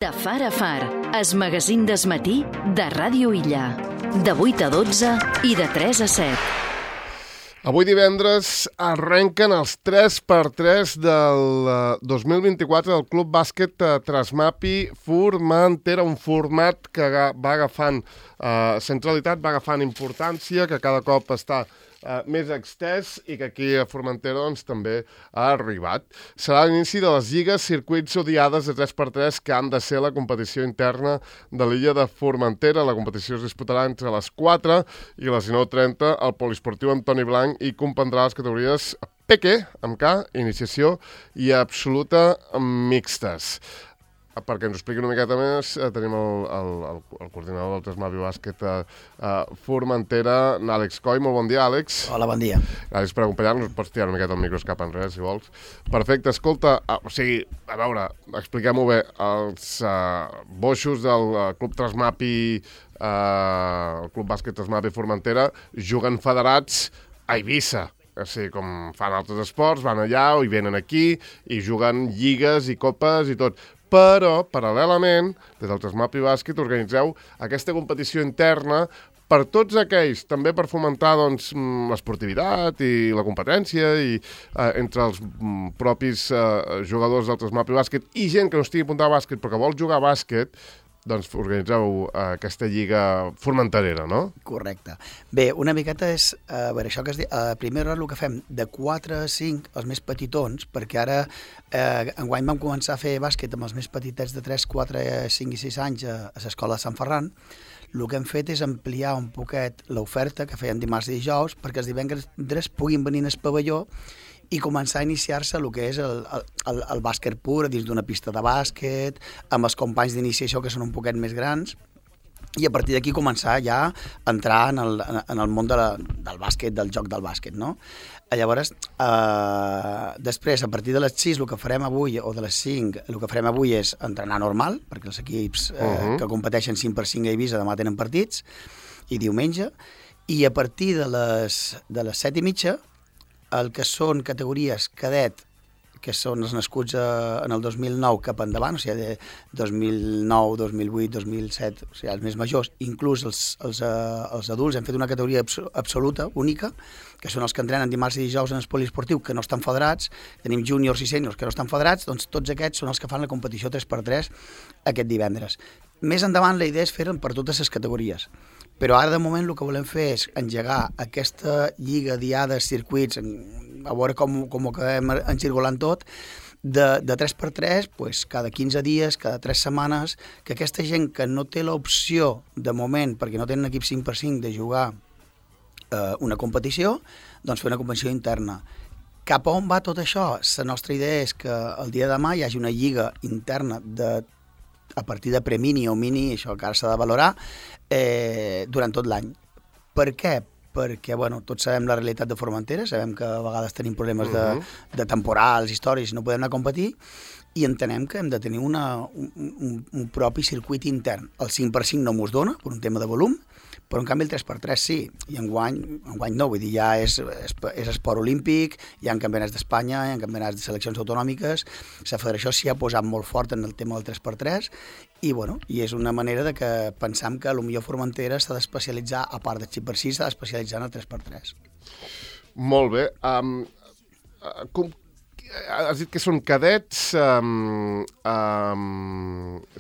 De far a far, es magazín d'esmatí de Ràdio Illa. De 8 a 12 i de 3 a 7. Avui divendres arrenquen els 3x3 del 2024 del Club Bàsquet Trasmapi Formentera, un format que va agafant centralitat, va agafant importància, que cada cop està més extès i que aquí a Formentera doncs, també ha arribat. Serà l'inici de les lligues circuits odiades de 3x3 que han de ser la competició interna de l'illa de Formentera. La competició es disputarà entre les 4 i les 19:30 al Poliesportiu Antoni Blanc i comprendrà les categories PQ, amb K, iniciació i absoluta mixtes. Perquè ens ho expliqui una miqueta més, tenim el coordinador del Trasmapi Bàsquet Formentera, l'Àlex Coll. Molt bon dia, Àlex. Hola, bon dia. Gràcies per acompanyar-nos. Pots tirar una miqueta el micro cap enrere, si vols. Perfecte, escolta, a veure, expliquem-ho bé. Els boixos del Club Trasmapi, el Club Bàsquet Trasmapi Formentera, juguen federats a Eivissa. O sigui, com fan altres esports, van allà o hi venen aquí i juguen lligues i copes i tot. Però, paral·lelament, des del Trasmapi Bàsquet organitzeu aquesta competició interna per tots aquells, també per fomentar doncs, l'esportivitat i la competència i entre els propis jugadors del Trasmapi Bàsquet i gent que no estigui apuntada a bàsquet però que vol jugar a bàsquet, doncs organitzeu aquesta lliga formenterera, no? Correcte. Bé, una miqueta és, a veure, això que es diu, primer el que fem de 4 a 5, els més petitons, perquè ara enguany vam començar a fer bàsquet amb els més petitets de 3, 4, 5 i 6 anys a l'escola de Sant Ferran. El que hem fet és ampliar un poquet l'oferta que feien dimarts i dijous perquè els divendres puguin venir al pavelló i començar a iniciar-se el que és el bàsquet pur dins d'una pista de bàsquet, amb els companys d'iniciació que són un poquet més grans, i a partir d'aquí començar ja a entrar en el món del bàsquet, del joc del bàsquet, no? Llavors, després, a partir de les 6, el que farem avui, o de les 5, el que farem avui és entrenar normal, perquè els equips que competeixen 5x5 a Eivissa demà tenen partits, i diumenge, i a partir de les 7:30, el que són categories cadet, que són els nascuts en el 2009 cap endavant, o sigui, de 2009, 2008, 2007, o sigui, els més majors, inclús els adults, hem fet una categoria absoluta, única, que són els que entrenen dimarts i dijous en el poliesportiu, que no estan federats, tenim júniors i sèniors que no estan federats, doncs tots aquests són els que fan la competició 3x3 aquest divendres. Més endavant la idea és fer-ho per totes les categories, però ara de moment el que volem fer és engegar aquesta lliga diades, circuits, a veure com ho acabem encirculant tot, de 3x3, pues, cada 15 dies, cada 3 setmanes, que aquesta gent que no té l'opció de moment, perquè no tenen equip 5x5 de jugar una competició, doncs fer una competició interna. Cap a on va tot això? La nostra idea és que el dia de demà hi hagi una lliga interna a partir de premini o mini, això que ara s'ha de valorar, durant tot l'any. Per què? Perquè, bueno, tots sabem la realitat de Formentera, sabem que a vegades tenim problemes de temporals, històries, no podem anar a competir, i entenem que hem de tenir un propi circuit intern. El 5x5 no mos dona, per un tema de volum, però en canvi el 3x3 sí, i enguany no, vull dir, ja és esport olímpic, hi ha campionats d'Espanya, hi ha campionats de seleccions autonòmiques, la federació s'hi ha posat molt fort en el tema del 3x3, i bueno, i és una manera de que pensam que potser Formentera s'ha d'especialitzar, a part del 5x6, s'ha d'especialitzar en el 3x3. Molt bé. Has dit que són cadets,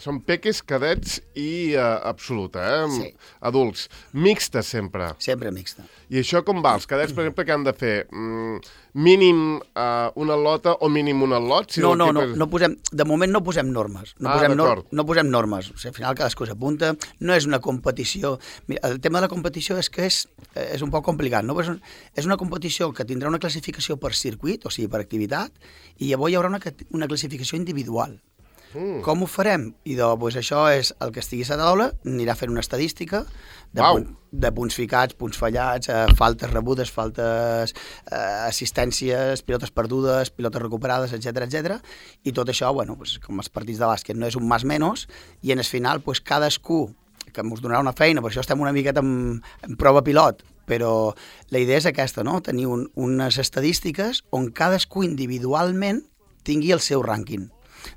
són peques, cadets i absoluta, Sí. Adults. Mixta sempre. Sempre mixta. I això com va? Els cadets, per exemple, que han de fer mínim una lota o mínim un al·lot? No posem, de moment no posem normes. No posem normes. O sigui, al final cadascú s'apunta. No és una competició. Mira, el tema de la competició és que és un poc complicat, no? És una competició que tindrà una classificació per circuit, o sigui, per activitat, i llavors hi haurà una classificació individual. Com ho farem? I doncs això és el que estigui a taula, anirà fent una estadística de punts ficats, punts fallats, faltes rebudes, faltes assistències, pilotes perdudes, pilotes recuperades, etc. I tot això, bueno, com els partits de bàsquet, no és un más menos, i en el final cadascú, que ens donarà una feina, per això estem una miqueta en prova pilot, però la idea és aquesta, no? Tenir unes estadístiques on cadascú individualment tingui el seu rànquing.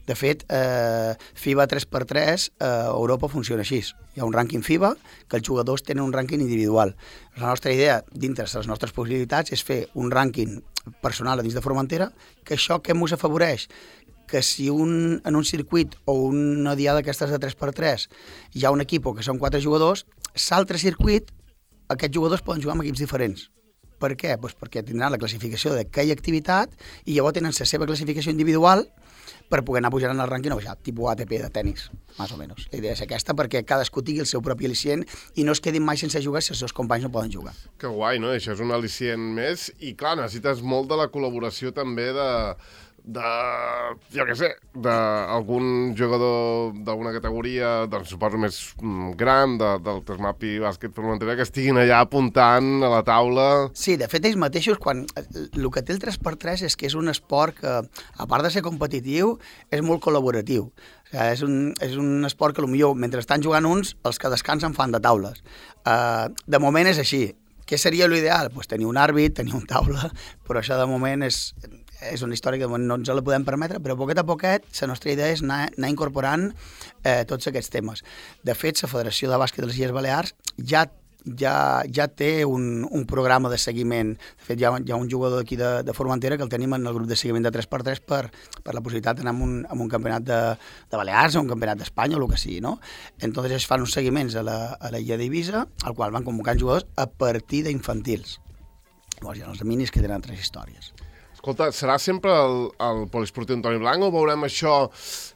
De fet, FIBA 3x3 a Europa funciona així. Hi ha un rànquing FIBA que els jugadors tenen un rànquing individual. La nostra idea, dintre de les nostres possibilitats, és fer un rànquing personal a dins de Formentera, que això què ens afavoreix? Que si en un circuit o una diada d'aquestes de 3x3 hi ha un equip que són 4 jugadors, l'altre circuit, aquests jugadors poden jugar amb equips diferents. Per què? Pues perquè tindran la classificació d'aquella activitat i llavors tenen la seva classificació individual per poder anar pujant el rànquing o baixar, tipus ATP de tennis, més o menys. La idea és aquesta perquè cadascú tingui el seu propi al·licient i no es quedin mai sense jugar si els seus companys no poden jugar. Que guai, no? Això és un al·licient més i, clar, necessites molt de la col·laboració també jo què sé, d'algun jugador d'alguna categoria, doncs suposo més gran, del Tresmapi Bàsquet Formentera, que estiguin allà apuntant a la taula. Sí, de fet, ells mateixos, el que té el 3x3 és que és un esport que, a part de ser competitiu, és molt col·laboratiu. O sigui, és un esport que, potser, mentre estan jugant uns, els que descansen fan de taules. De moment és així. Què seria l'ideal? Pues tenir un àrbit, tenir un taula, però això de moment és una història que no ens la podem permetre, però poquet a poquet la nostra idea és anar incorporant tots aquests temes. De fet, la Federació de Bàsquet de les Illes Balears ja té un programa de seguiment. De fet, hi ha un jugador d'aquí de Formentera que el tenim en el grup de seguiment de 3x3 per la possibilitat d'anar a un campionat de Balears o un campionat d'Espanya o el que sigui, no? Entonces es fan uns seguiments a l'illa d'Eivissa, al qual van convocant jugadors a partir d'infantils. Llavors hi ha els minis que tenen 3 històries. Escolta, serà sempre el poliesportiu Antoni Blanc o veurem això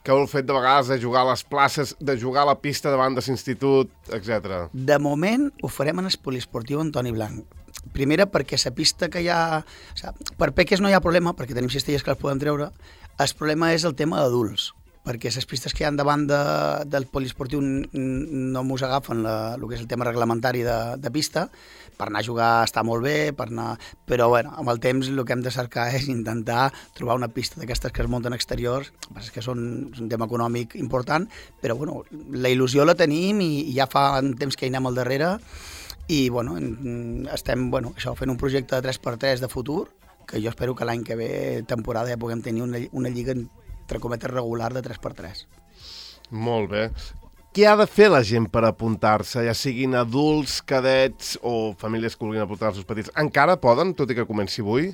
que heu fet de vegades de jugar a les places, de jugar a la pista davant de l'institut, etc. De moment ho farem en el poliesportiu Antoni Blanc. Primera perquè la pista que hi ha... O sigui, per peques no hi ha problema, perquè tenim cistelles que les podem treure. El problema és el tema d'adults, perquè les pistes que hi ha davant del poliesportiu no mos agafen el que és el tema reglamentari de pista. Per anar a jugar està molt bé, però bueno, amb el temps el que hem de cercar és intentar trobar una pista d'aquestes que es munten exteriors, és que són un tema econòmic important, però bueno, la il·lusió la tenim i ja fa un temps que hi anem al darrere i bueno, estem fent un projecte de 3x3 de futur, que jo espero que l'any que ve, temporada, ja puguem tenir una lliga entre cometes regular de 3x3. Molt bé. Què ha de fer la gent per apuntar-se, ja siguin adults, cadets o famílies que vulguin apuntar els seus petits? Encara poden, tot i que comenci avui?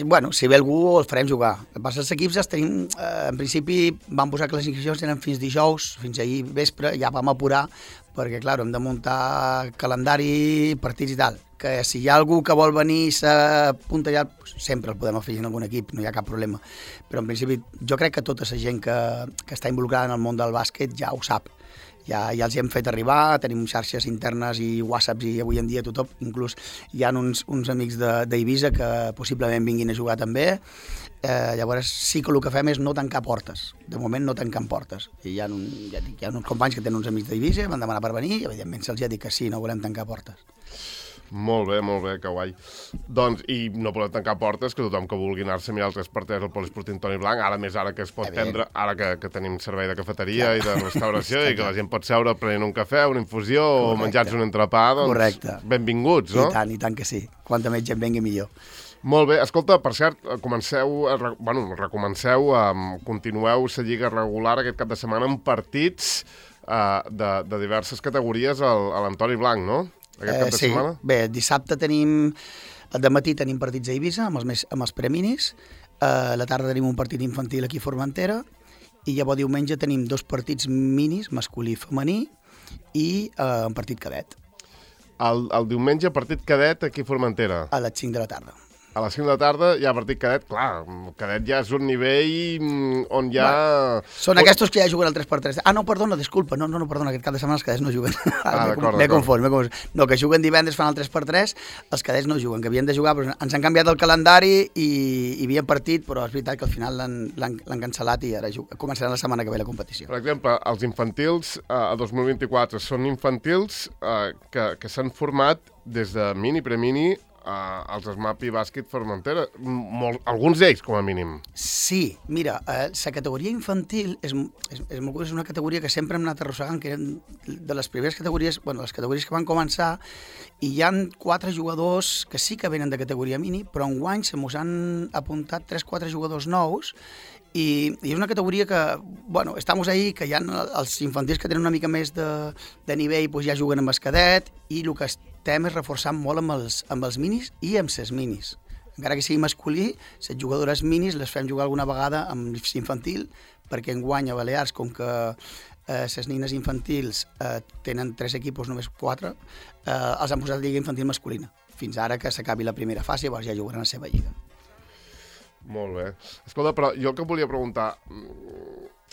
Bueno, si ve algú els farem jugar. Els equips els tenim, en principi vam posar que les inscripcions tenen fins dijous, fins ahir vespre, ja vam apurar, perquè clar, hem de muntar calendari, partits i tal. Que si hi ha algú que vol venir i s'apunta ja, sempre el podem afegir en algun equip, no hi ha cap problema. Però en principi jo crec que tota la gent que està involucrada en el món del bàsquet ja ho sap. Ja els hi hem fet arribar, tenim xarxes internes i whatsapps i avui en dia tothom, inclús hi ha uns amics d'Eivissa que possiblement vinguin a jugar també. Llavors sí que el que fem és no tancar portes, de moment no tancant portes. I hi ha uns companys que tenen uns amics d'Eivissa, van demanar per venir i evidentment se'ls ha dit que sí, no volem tancar portes. Molt bé, que guai. Doncs, i no podem tancar portes, que tothom que vulgui anar-se a mirar el 3x3 al poliesportiu Antoni Blanc, ara que es pot prendre, ara que tenim servei de cafeteria i de restauració i que la gent pot seure prenent un cafè, una infusió o menjar-se un entrepà, doncs benvinguts, no? I tant que sí. Quanta més gent vengui millor. Molt bé. Escolta, per cert, continueu la lliga regular aquest cap de setmana amb partits de diverses categories a l'Antoni Blanc, no? Sí, bé, dissabte al dematí tenim partits a Eivissa amb els preminis, a la tarda tenim un partit infantil aquí a Formentera i llavors diumenge tenim 2 partits minis, masculí i femení, i un partit cadet. El diumenge partit cadet aquí a Formentera? A les 5 de la tarda. A les 5 de la tarda hi ha partit cadet, clar, el cadet ja és un nivell on ja... Són aquests que ja juguen al 3x3. No, perdona, disculpa, perdona, aquest cap de setmana els cadets no juguen. M'he confós. No, que juguen divendres fan el 3x3, els cadets no juguen, que havien de jugar, però ens han canviat el calendari i hi havia partit, però és veritat que al final l'han cancel·lat i ara començaran la setmana que ve la competició. Per exemple, els infantils a 2024 són infantils que s'han format des de mini, premini, als Tresmapi Bàsquet Formentera. Alguns d'ells, com a mínim. Sí, mira, la categoria infantil és molt curiós, és una categoria que sempre hem anat arrossegant, que eren de les primeres categories, les categories que van començar, i hi ha 4 jugadors que sí que venen de categoria mini, però enguany se mos han apuntat 3-4 jugadors nous I és una categoria que, bueno, estamos ahí, que hi ha els infantils que tenen una mica més de nivell, doncs ja juguen amb el cadet, i el que estem és reforçant molt amb els minis i amb ses minis. Encara que sigui masculí, les jugadores minis les fem jugar alguna vegada amb infantil, perquè enguany a Balears, com que les nines infantils tenen 3 equipos, només 4, els han posat lliga infantil masculina. Fins ara que s'acabi la primera fase, llavors ja jugaran la seva lliga. Molt bé. Escolta, però jo el que volia preguntar,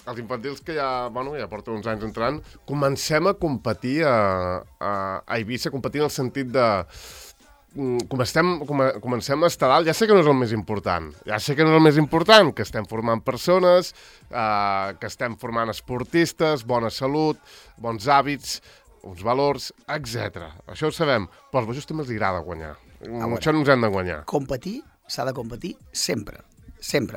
els infantils que ja porten uns anys entrant, comencem a competir a Eivissa, competir en el sentit de... Comencem a estar dalt, ja sé que no és el més important, que estem formant persones, que estem formant esportistes, bona salut, bons hàbits, uns valors, etc. Això ho sabem, però als bojos també els agrada guanyar. Això no ens hem de guanyar. Competir s'ha de competir sempre,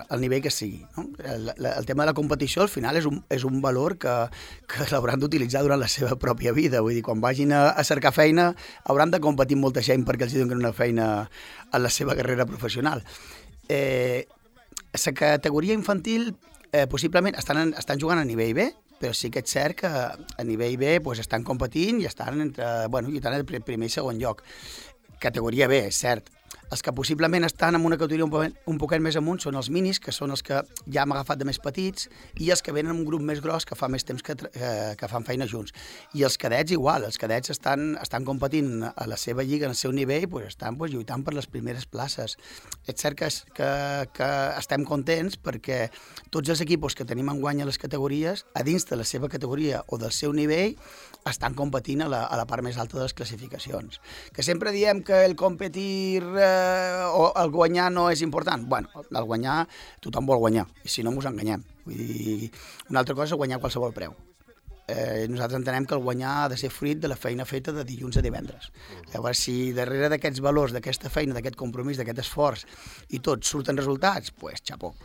al nivell que sigui. No? El tema de la competició al final és un valor que l'hauran d'utilitzar durant la seva pròpia vida. Vull dir, quan vagin a cercar feina hauran de competir amb molta gent perquè els donin una feina en la seva carrera professional. La categoria infantil possiblement estan jugant a nivell B, però sí que és cert que a nivell B estan competint i estan lluitant el primer i segon lloc. Categoria B, és cert. Els que possiblement estan en una categoria un poquet més amunt són els minis, que són els que ja hem agafat de més petits, i els que venen en un grup més gros que fa més temps que fan feina junts. I els cadets igual, els cadets estan competint a la seva lliga, en el seu nivell, estan lluitant per les primeres places. És cert que estem contents perquè tots els equipos que tenim enguany a les categories, a dins de la seva categoria o del seu nivell, estan competint a la part més alta de les classificacions. Que sempre diem que el competir o el guanyar no és important. Bueno, el guanyar, tothom vol guanyar, i si no mos enganyem. Vull dir, una altra cosa és guanyar a qualsevol preu. Nosaltres entenem que el guanyar ha de ser fruit de la feina feta de dilluns a divendres. Llavors, si darrere d'aquests valors, d'aquesta feina, d'aquest compromís, d'aquest esforç i tot surten resultats, doncs xapó.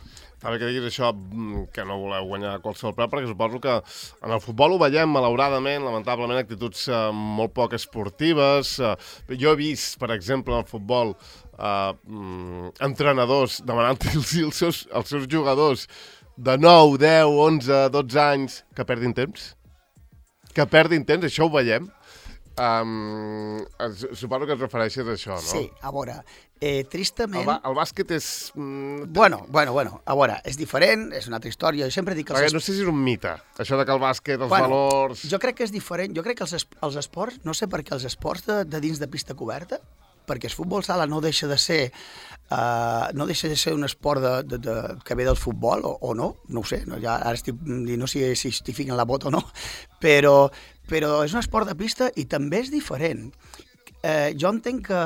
Ara que diguis això, que no voleu guanyar a qualsevol preu, perquè suposo que en el futbol ho veiem, malauradament, lamentablement, actituds molt poc esportives. Jo he vist, per exemple, en el futbol, entrenadors demanant-los als seus jugadors de 9, 10, 11, 12 anys que perdin temps. Això ho veiem. Suposo que et refereixes a això, no? Sí, a veure, tristament... El bàsquet és... Bueno, a veure, és diferent, és una altra història. Jo sempre dic que... No sé si és un mite, això de que el bàsquet, els valors... Jo crec que és diferent. Jo crec que els esports, no sé per què els esports de dins de pista coberta, perquè el futbol sala no deixa de ser un esport que ve del futbol, o no ho sé, ara estic dient, no sé si estic ficant la bota o no, però és un esport de pista i també és diferent. Jo entenc que,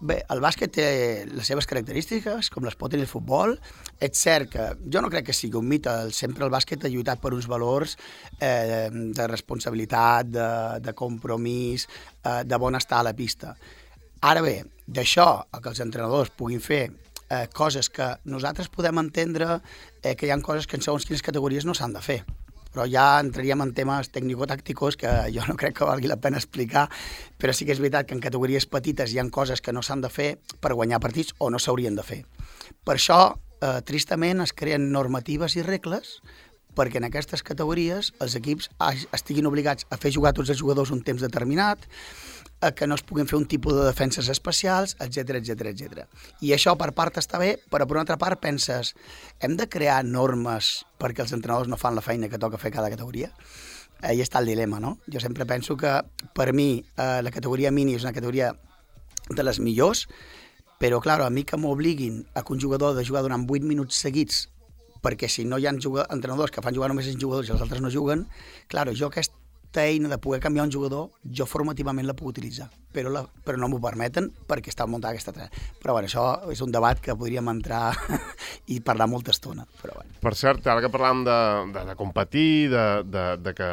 bé, el bàsquet té les seves característiques, com les pot tenir el futbol. És cert que jo no crec que sigui un mite, sempre el bàsquet ha lluitat per uns valors de responsabilitat, de compromís, de bon estar a la pista. Ara bé, d'això a que els entrenadors puguin fer coses que nosaltres podem entendre que hi ha coses que en segons quines categories no s'han de fer. Però ja entraríem en temes tècnico-tàcticos que jo no crec que valgui la pena explicar, però sí que és veritat que en categories petites hi ha coses que no s'han de fer per guanyar partits o no s'haurien de fer. Per això, tristament, es creen normatives i regles perquè en aquestes categories els equips estiguin obligats a fer jugar tots els jugadors un temps determinat, que no es puguin fer un tipus de defenses especials, etc. I això per part està bé, però per una altra part penses, hem de crear normes perquè els entrenadors no fan la feina que toca fer cada categoria? Ahí està el dilema, no? Jo sempre penso que per mi la categoria mini és una categoria de les millors, però clar, a mi que m'obliguin a que un jugador ha de jugar durant 8 minuts seguits, perquè si no hi ha entrenadors que fan jugar només 5 jugadors i els altres no juguen, clar, jo aquesta eina de poder canviar un jugador, jo formativament la puc utilitzar, però no m'ho permeten perquè està muntada aquesta trena. Però bueno, això és un debat que podríem entrar i parlar molta estona. Però bueno. Per cert, ara que parlàvem de competir, de que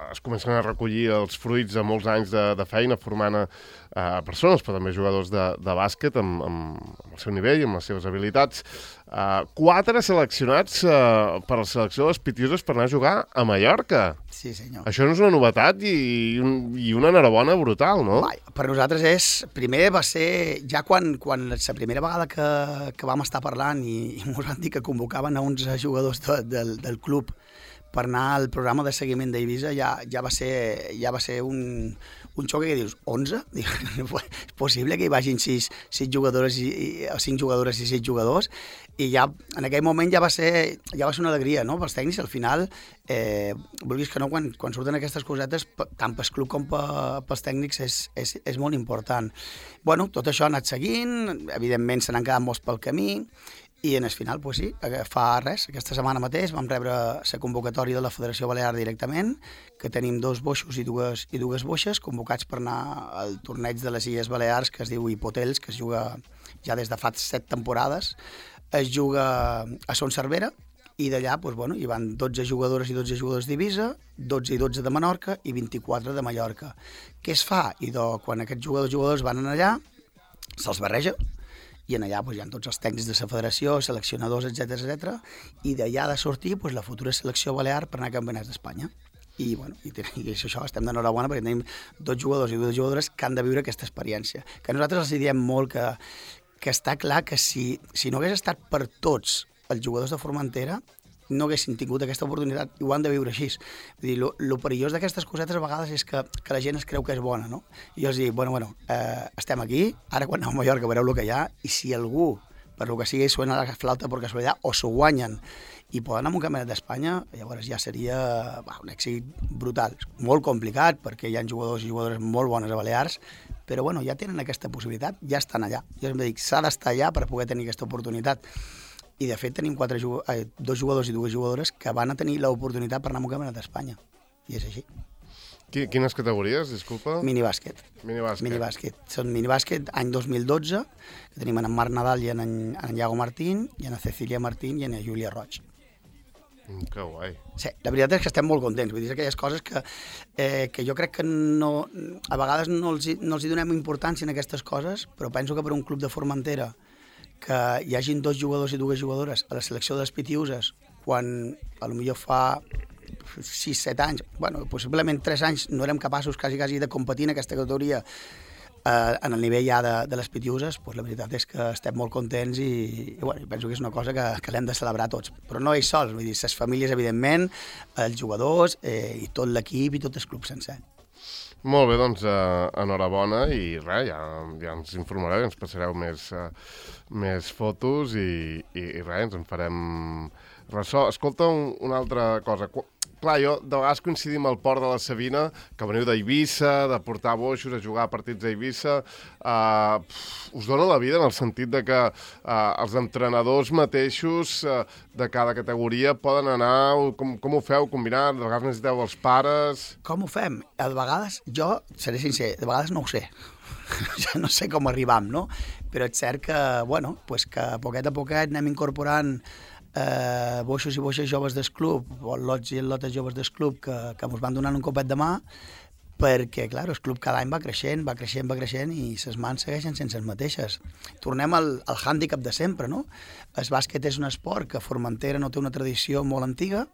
es comencen a recollir els fruits de molts anys de feina formant a persones, però també jugadors de bàsquet amb el seu nivell, amb les seves habilitats. 4 seleccionats per la selecció de les Pitiuses per anar a jugar a Mallorca. Sí, senyor. Això no és una novetat i una enhorabona brutal, no? Vai, Per nosaltres primer va ser, ja quan la primera vegada que vam estar parlant i ens van dir que convocaven a uns jugadors del club per anar al programa de seguiment d'Eivissa, ja va ser un xoc que dius, 11? És possible que hi vagin 6 jugadores o 5 jugadores i 6 jugadors? I ja en aquell moment ja va ser una alegria, no?, pels tècnics. Al final, vulguis que no, quan surten aquestes cosetes, tant pel club com pels tècnics és molt important. Bueno, tot això ha anat seguint, evidentment se n'han quedat molts pel camí, i en el final, doncs sí, fa res, aquesta setmana mateix vam rebre la convocatòria de la Federació Balear directament, que tenim 2 boixos i dues boixes convocats per anar al torneig de les Illes Balears, que es diu Hipotels, que es juga ja des de fa 7 temporades. Es juga a Son Cervera, i d'allà hi van 12 jugadores i 12 jugadors d'Eivissa, 12 i 12 de Menorca i 24 de Mallorca. Què es fa? Quan aquests jugadors van allà, se'ls barreja, i allà hi ha tots els tècnics de la federació, seleccionadors, etc. I d'allà ha de sortir la futura selecció balear per anar a campionats d'Espanya. I això, estem d'enhorabona perquè tenim 2 jugadors i 2 jugadores que han de viure aquesta experiència. Que nosaltres els diem molt que està clar que si no hagués estat per tots els jugadors de Formentera, no haguessin tingut aquesta oportunitat i ho han de viure així. Vull dir, lo perillós d'aquestes cosetes a vegades és que la gent es creu que és bona, no? I jo els dic, estem aquí, ara quan aneu a Mallorca veureu el que hi ha, i si algú, per lo que sigui, suena la flauta per casualitat o s'ho guanyen i poden anar a un campionat d'Espanya, llavors ja seria un èxit brutal. Molt complicat, perquè hi ha jugadors i jugadores molt bones a Balears, però ja tenen aquesta possibilitat, ja estan allà. Jo em dic, s'ha d'estar allà per poder tenir aquesta oportunitat. I, de fet, tenim 2 jugadors i 2 jugadores que van a tenir l'oportunitat per anar a un campionat d'Espanya. I és així. Quines categories, disculpa? Minibàsquet. Són minibàsquet any 2012, que tenim en Marc Nadal i en Iago Martín, i en Cecilia Martín i en Júlia Roig. Que guai. Sí, la veritat és que estem molt contents. Vull dir, aquelles coses que jo crec que a vegades no els hi donem importància en aquestes coses, però penso que per un club de Formentera que hi hagin 2 jugadors i 2 jugadores a la selecció de les Pitiuses, quan potser fa 6-7 anys, possiblement 3 anys, no érem capaços quasi de competir en aquesta categoria en el nivell ja de les Pitiuses, la veritat és que estem molt contents i penso que és una cosa que l'hem de celebrar tots. Però no ells sols, vull dir, les famílies, evidentment, els jugadors i tot l'equip i tot el club sencer. Molt bé, doncs enhorabona i res, ja ens informareu, ens passareu més fotos i res, ens en farem ressò. Escolta, una altra cosa. Clar, jo de vegades coincidim al port de la Sabina, que veniu d'Eivissa, de portar boixos, a jugar a partits a Eivissa. Us dona la vida en el sentit de que els entrenadors mateixos de cada categoria poden anar... Com ho feu, combinar? De vegades necessiteu els pares... Com ho fem? A vegades, jo seré sincer, de vegades no ho sé. Ja no sé com arribam, no? Però és cert que, que poquet a poquet anem incorporant boixos i boixes joves del club, o lots i lotes joves del club que ens van donant un copet de mà, perquè, clar, el club cada any va creixent i les mans segueixen sense les mateixes. Tornem al hàndicap de sempre, no? El bàsquet és un esport que a Formentera no té una tradició molt antiga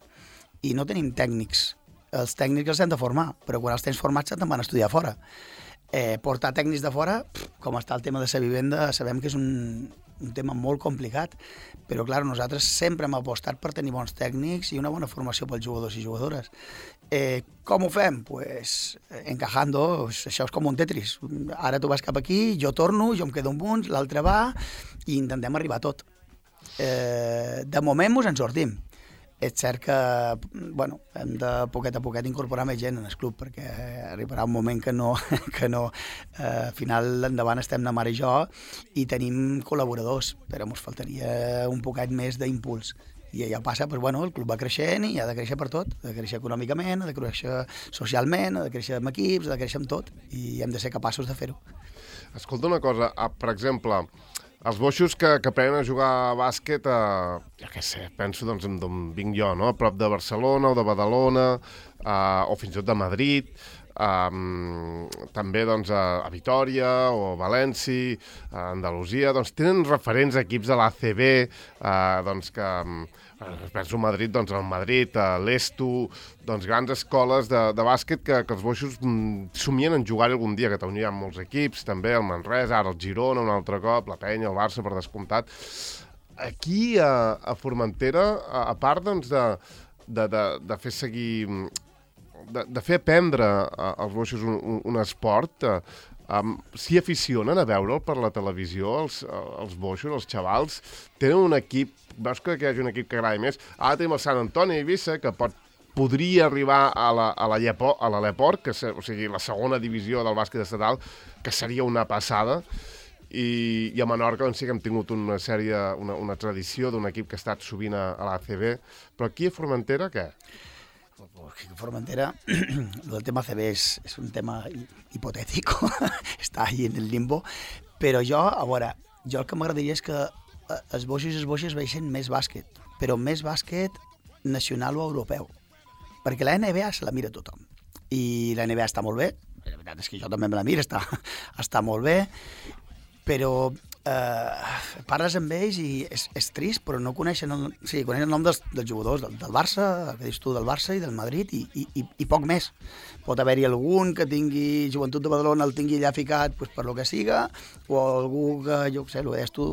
i no tenim tècnics. Els tècnics els hem de formar, però quan els tens formats te'n van estudiar fora. Portar tècnics de fora, com està el tema de la vivenda, sabem que és un tema molt complicat, però clar, nosaltres sempre hem apostat per tenir bons tècnics i una bona formació pels jugadors i jugadores. Com ho fem? Pues encajando, això és com un Tetris. Ara tu vas cap aquí, jo torno, jo em quedo amb uns, l'altre va, i intentem arribar a tot. De moment ens en sortim. És cert que hem de poquet a poquet incorporar més gent en el club, perquè arribarà un moment que no al final endavant estem na mare i jo i tenim col·laboradors, però ens faltaria un poquet més d'impuls. I allò passa, el club va creixent i ha de créixer per tot, ha de créixer econòmicament, ha de créixer socialment, ha de créixer amb equips, ha de créixer amb tot, i hem de ser capaços de fer-ho. Escolta una cosa, per exemple, els boixos que aprenen a jugar a bàsquet, jo què sé, penso d'on vinc jo, no? A prop de Barcelona o de Badalona, o fins i tot de Madrid. també doncs, a Vitòria o a València, a Andalusia, doncs tenen referents equips de l'ACB, doncs que penso Madrid, doncs el Madrid, l'Esto, doncs grans escoles de bàsquet que els boixos somien en jugar algun dia. A Catalunya hi ha molts equips, també el Manresa, ara el Girona un altre cop, la Penya, el Barça, per descomptat. Aquí, a Formentera, a part doncs, de fer seguir, de fer aprendre als boixos un esport, s'hi aficionen a veure'l per la televisió, els boixos, els xavals, tenen un equip, veus que hi hagi un equip que agradi més. Ara tenim el Sant Antoni Eivissa, que podria arribar a l'Aleport, o sigui, la segona divisió del bàsquet estatal, que seria una passada, i a Menorca doncs sí que hem tingut una tradició d'un equip que ha estat sovint a l'ACB, però aquí a Formentera què? A Formentera, el tema ACB és un tema hipotètic, està ahí en el limbo, però jo el que m'agradaria és que els boixos i les boixes veixen més bàsquet, però més bàsquet nacional o europeu, perquè la NBA se la mira tothom, i la NBA està molt bé, la veritat és que jo també me la miro, està molt bé, però parles amb ells i és trist, però no coneixen coneixen el nom dels jugadors del Barça, el que dius tu, del Barça i del Madrid, i poc més. Pot haver-hi algun que tingui Joventut de Badalona, el tingui allà ficat per lo que siga, o algú que, jo què sé, el que deies tu,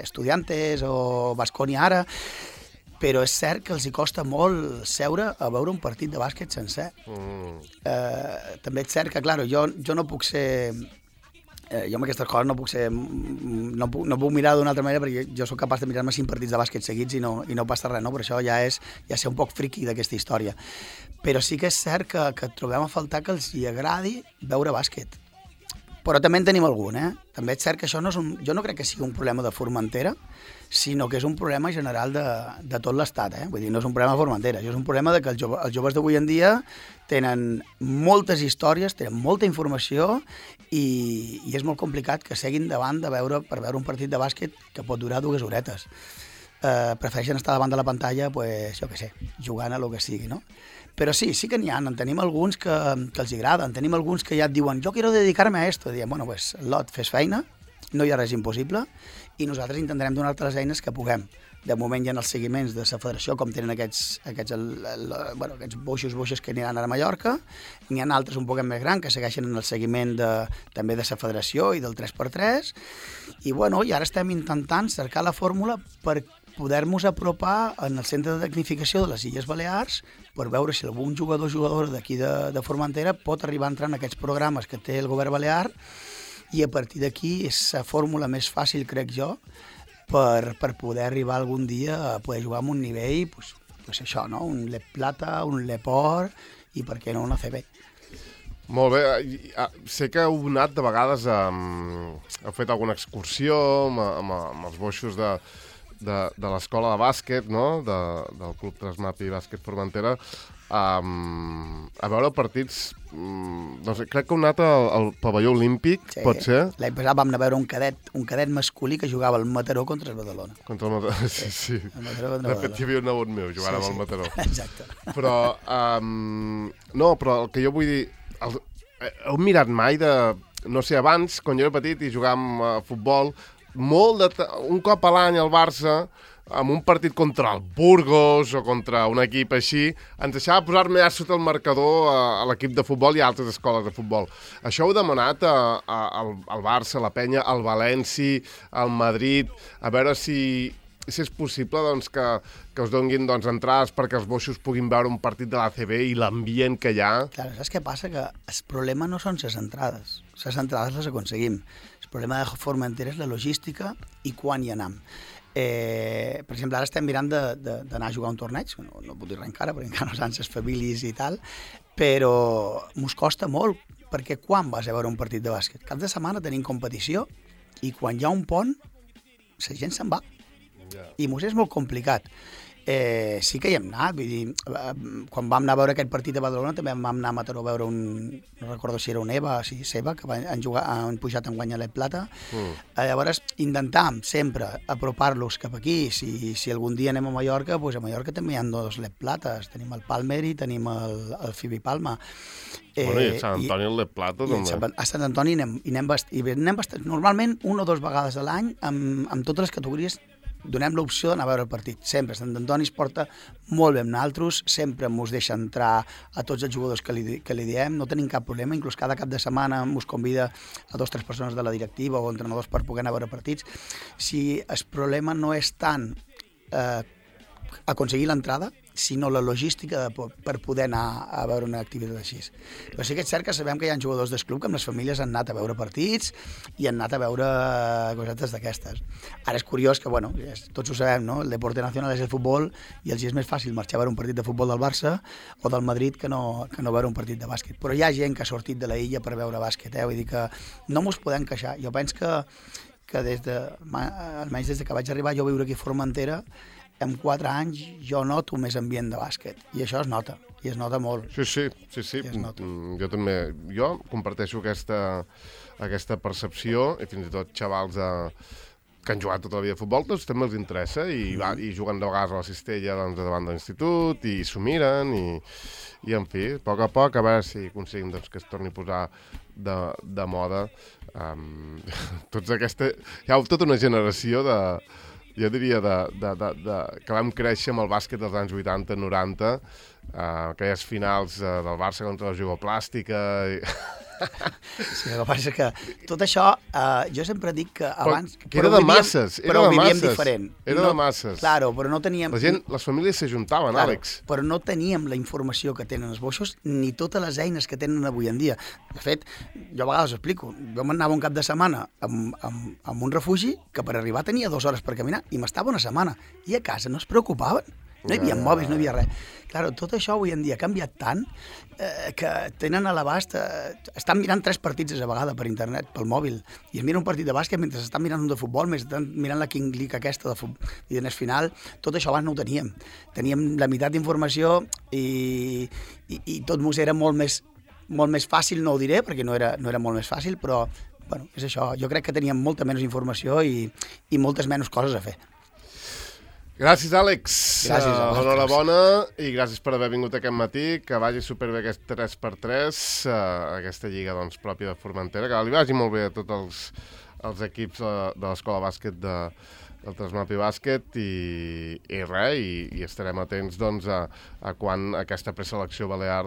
Estudiantes o Baskonia ara, però és cert que els hi costa molt seure a veure un partit de bàsquet sencer. També és cert que, clar, jo no puc ser... jo amb aquestes coses no puc mirar d'una altra manera, perquè jo sóc capaç de mirar-me 5 partits de bàsquet seguits i no passa res, no? Per això ja ser un poc friqui d'aquesta història. Però sí que és cert que trobem a faltar que els hi agradi veure bàsquet. Però també en tenim algun, També és cert que això jo no crec que sigui un problema de Formentera, sinó que és un problema general de tot l'Estat, Vull dir, no és un problema de Formentera, això és un problema de que els joves d'avui en dia tenen moltes històries, tenen molta informació i és molt complicat que seguin davant per veure un partit de bàsquet que pot durar 2 horetes. Prefereixen estar davant de la pantalla, pues, jo què sé, jugant a lo que sigui, no? Però sí que n'hi ha, en tenim alguns que els agraden, tenim alguns que ja et diuen jo quiero dedicar-me a esto, diem, bueno, pues, Lot, fes feina, no hi ha res impossible, i nosaltres intentarem donar-te les eines que puguem. De moment hi ha els seguiments de la federació, com tenen aquests boixos que aniran a Mallorca, n'hi ha altres un poc més grans que segueixen en el seguiment també de la federació i del 3x3, i ara estem intentant cercar la fórmula per poder-nos apropar en el centre de tecnificació de les Illes Balears per veure si algun jugador o jugadora d'aquí de Formentera pot arribar a entrar en aquests programes que té el govern balear, i a partir d'aquí és la fórmula més fàcil, crec jo, per poder arribar algun dia a poder jugar amb un nivell, pues això, no? Un LEP Plata, un LEP Or, i per què no un ACB. Molt bé. Sé que heu anat de vegades, heu fet alguna excursió amb els boixos de l'escola de bàsquet, no? Del Club Trasmapi Bàsquet Formentera, a veure partits, no sé, crec que heu anat al pavelló olímpic, sí, pot ser? L'any passat vam anar a veure un cadet masculí que jugava al Mataró contra el Badalona. Contra el Mataró, sí. De fet, hi havia un nebot meu jugant amb el Mataró. Exacte. Però, no, però el que jo vull dir, heu mirat mai no sé, abans, quan jo era petit i jugàvem a futbol, un cop a l'any al Barça, amb un partit contra el Burgos o contra un equip així, ens deixava posar-me ja sota el marcador a l'equip de futbol i a altres escoles de futbol. Això heu demanat al Barça, a la Penya, al València, al Madrid, a veure si és possible doncs, que us donguin entrades perquè els boixos puguin veure un partit de l'ACB i l'ambient que hi ha. Clar, saps què passa? Que el problema no són les entrades. Les entrades les aconseguim. El problema de Formentera és la logística i quan hi anem. Per exemple, ara estem mirant d'anar a jugar a un torneig, no puc dir res encara, perquè encara no saben les famílies i tal, però mos costa molt, perquè quan vas a veure un partit de bàsquet? Cap de setmana tenim competició i quan hi ha un pont, la gent se'n va. I mos és molt complicat. sí que hi hem anat, vull dir, quan vam anar a veure aquest partit a Badalona també vam anar a Mataró a veure no recordo si era un EVA, sí, Seba, que han pujat en guanyar l'Ep Plata. Llavors intentàvem sempre apropar-los cap aquí, si algun dia anem a Mallorca, doncs a Mallorca també hi ha 2 l'Ep Plates, tenim el Palmer i tenim el Fibi Palma. Bueno, i a Sant Antoni l'Ep Plata també. A Sant Antoni anem bastant, normalment 1 o 2 vegades a l'any amb totes les categories donem l'opció d'anar a veure el partit. Sempre. Sant Antoni es porta molt bé amb nosaltres, sempre mos deixa entrar a tots els jugadors que li diem, no tenim cap problema, inclús cada cap de setmana mos convida a 2 o 3 persones de la directiva o entrenadors per poder anar a veure partits. Si el problema no és tant aconseguir l'entrada, sinó la logística per poder anar a veure una activitat així. Però sí que és cert que sabem que hi ha jugadors del club que amb les famílies han anat a veure partits i han anat a veure cosetes d'aquestes. Ara és curiós que, bueno, tots ho sabem, no? El deporte nacional és el futbol i els és més fàcil marxar a veure un partit de futbol del Barça o del Madrid que no veure un partit de bàsquet. Però hi ha gent que ha sortit de la illa per veure bàsquet, vull dir que no mos podem queixar. Jo penso que almenys des que vaig arribar jo a viure aquí a Formentera, en 4 anys jo noto més ambient de bàsquet, i això es nota, i es nota molt. Sí. Jo també, comparteixo aquesta percepció, i fins i tot xavals que han jugat tota la vida a futbol, doncs també els interessa, i juguen de vegades a la cistella davant de l'institut, i s'ho miren, i en fi, a poc, a veure si aconseguim que es torni a posar de moda. Hi ha tota una generació jo diria que vam créixer amb el bàsquet dels anys 80-90, aquelles finals del Barça contra la Jugoplàstica. Sí, el que passa és que tot això, jo sempre dic que abans... Era de masses, però vivíem diferent. Era de masses. Claro, però no teníem... Les famílies s'ajuntaven, Àlex. Però no teníem la informació que tenen els boixos ni totes les eines que tenen avui en dia. De fet, jo a vegades ho explico. Jo m'anava un cap de setmana amb un refugi que per arribar tenia 2 hores per caminar i m'estava una setmana. I a casa no es preocupaven. No hi havia mòbils, no hi havia res. Claro, tot això avui en dia ha canviat tant que tenen a l'abast... Estan mirant 3 partits a la vegada per internet, pel mòbil, i es mira un partit de bàsquet mentre estan mirant un de futbol, mentre estan mirant la King League aquesta de futbol. I en el final, tot això abans no ho teníem. Teníem la meitat d'informació i tot mos era molt més fàcil, no ho diré, perquè no era molt més fàcil, però bueno, és això. Jo crec que teníem molta menys informació i moltes menys coses a fer. Gràcies, Àlex. Gràcies a vosaltres. Enhorabona i gràcies per haver vingut aquest matí, que vagi superbé aquest 3x3, aquesta lliga pròpia de Formentera, que li vagi molt bé a tots els equips de l'escola bàsquet del Trasmapi Bàsquet i res, i estarem atents a quan aquesta preselecció balear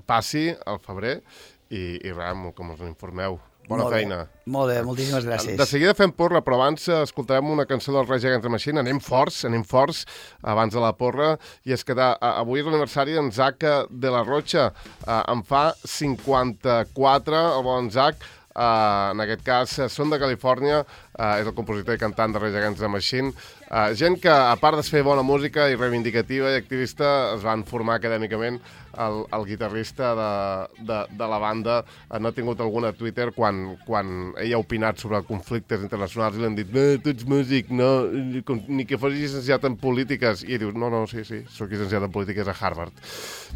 passi al febrer i res, com us informeu. Bona feina. Molt bé, moltíssimes gràcies. De seguida fem porra, però abans escoltarem una cançó del Rage Against the Machine. Anem forts abans de la porra. I és que avui és l'aniversari d'en Zac de la Rocha. En fa 54, el bon Zac. En aquest cas, són de Califòrnia, és el compositor i cantant de Rage Against the Machine. Gent que, a part de fer bona música i reivindicativa i activista, es van formar acadèmicament. El guitarrista de la banda no ha tingut alguna a Twitter quan ell ha opinat sobre conflictes internacionals i li han dit tu ets músic, no, ni que fos llicenciat en polítiques. I ell diu, no, sí, soc llicenciat en polítiques a Harvard.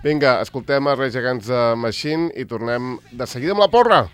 Vinga, escoltem a Rage Against the Machine i tornem de seguida amb la porra.